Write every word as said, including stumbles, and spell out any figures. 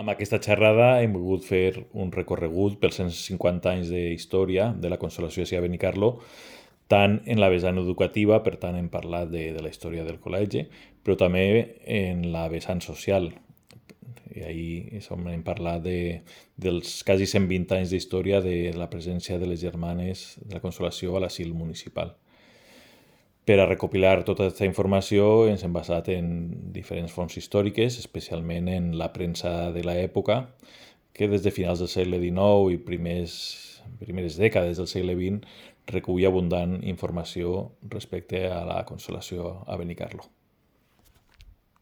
Amb aquesta xerrada hem volgut fer un recorregut pels cent cinquanta anys d'història de la Consolació de Sia Benicarló, tant en la vessant educativa, per tant hem parlat de, de la història del col·legi, però també en la vessant social. I ahir hem parlat de, dels quasi cent vint anys d'història de la presència de les germanes de la Consolació a l'asil municipal. Per a recopilar tota aquesta informació ens hem basat en diferents fonts històriques, especialment en la premsa de l'època, que des de finals del segle dinou i primers, primeres dècades del segle vint recull abundant informació respecte a la Consolació a Benicarló.